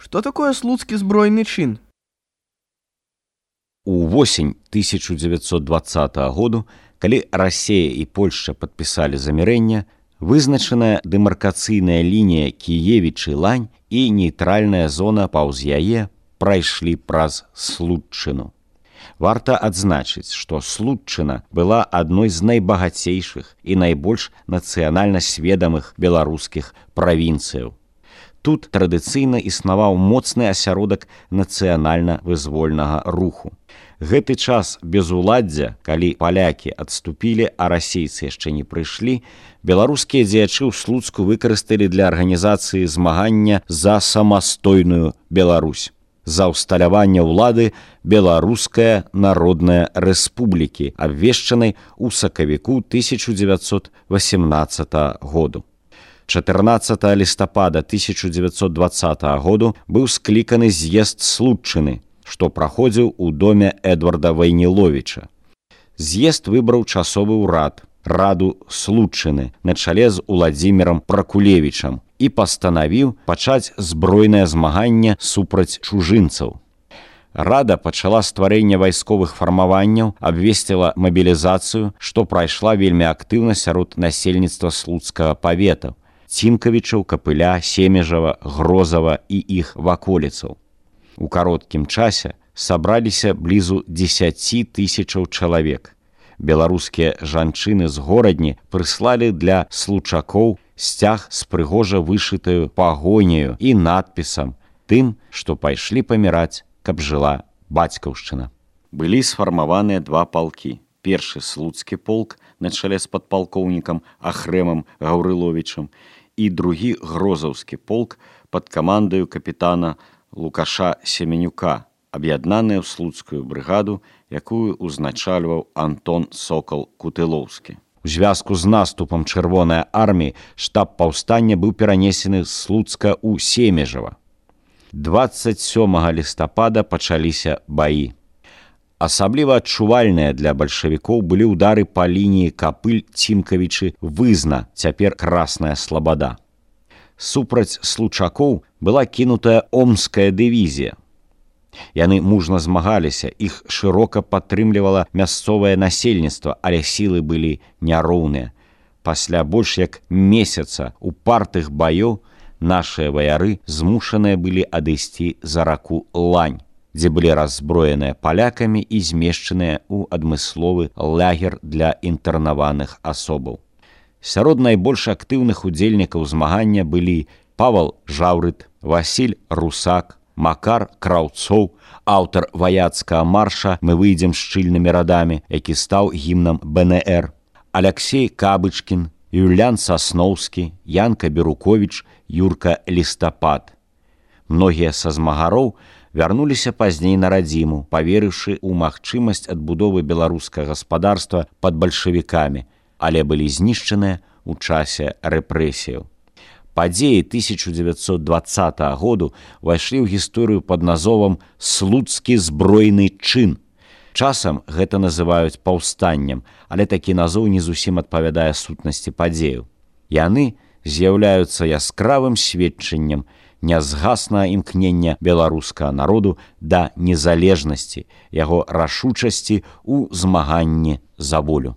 Што такое слуцкі збройны чын? У восень 1920 году, калі Расія і Польшча падпісалі замірэнне, вызначаная дэмаркацыйная лінія Кіевічы-Лань і нейтральная зона паўз яе прайшлі праз Слуцчыну. Варта адзначыць, што Слуцчына была адной з найбагацейшых і найбольш нацыянальна сведамых беларускіх правінцыяў. Тут традыцыйна існаваў моцны асяродак нацыянальна-вызвольнага руху. Гэты час безуладдзя, калі палякі адступілі, а расейцы яшчэ не прыйшлі, беларускія дзеячы ў Слуцку выкарысталі для арганізацыі змагання за самастойную Беларусь, за ўсталяванне ўлады Беларуская народная рэспублікі, абвешчанай у сакавіку 1918 году. 14 лістапада 1920 году быў скліканы з'езд Слуцчыны, што праходзіў у доме Эдварда Вайніловіча. З'езд выбраў часовы ўрад, раду Слуцчыны, на чале з Уладзімірам Пракулевічам і пастанавіў пачаць збройнае змаганне супраць чужынцаў. Рада пачала стварэнне вайсковых фармаванняў, абвесціла мабілізацыю, што прайшла вельмі актыўна сярод насельніцтва слуцкага павета, Цімкавічаў, Капыля, Семежава, Грозава і іх ваколіцаў. У кароткім часе сабраліся блізу 10 тысячаў чалавек. Беларускія жанчыны з горадні прыслалі для случакоў сцяг з прыгожа вышытаю пагоняю і надпісам тым, што пайшлі паміраць, каб жыла бацькаўшчына. Былі сфармаваныя два палкі. Першы слуцкі полк на чале з падпалкоўнікам Ахрэмам Гаўрыловічам і другі грозаўскі полк пад камандаю капітана Лукаша Семенюка, аб'яднаныя ў слуцкую брыгаду, якую узначальваў Антон Сокал Кутылоўскі. У звязку з наступам Чырвонай арміі штаб паўстання быў перанесены з Слуцка ў Семежава. 27 лістапада пачаліся баі. Асабліва адчувальныя для бальшавікоў былі ўдары па лініі Капыль-Цімкавічы-Вызна, цяпер Красная Слабада. Супраць случакоў была кінутая Омская дывізія. Яны мужна змагаліся, іх шырока падтрымлівала мясцовае насельніцтва, але сілы былі няроўныя. Пасля больш як месяца упартых баёў нашыя ваяры змушаныя былі адысці за раку Лань, дзе былі раззброеныя палякамі і змешчаныя ў адмысловы лагер для інтэрнаваных асобаў. Сярод найбольш актыўных удзельнікаў змагання былі Павал Жаўрыт, Васіль Русак, Макар Краўцоў, аўтар ваяцкага марша «Мы выйдзем шчыльнымі радамі», які стаў гімнам БНР, Аляксей Кабычкін, Юлян Сасноўскі, Янка Беруковіч, Юрка Лістапад. Многія са змагароў вярнуліся пазней на радзіму, паверыўшы ў магчымасць адбудовы беларускага гаспадарства пад бальшавікамі, але былі знішчаныя ў часе рэпрэсіяў. Падзеі 1920 году ўвайшлі ў гісторыю пад назовам «Слуцкі збройны чын». Часам гэта называюць паўстаннем, але такі назоў не зусім адпавядае сутнасці падзеяў. Яны з'яўляюцца яскравым сведчаннем нязгаснага імкнення беларускага народу да незалежнасці, яго рашучасці ў змаганні за волю.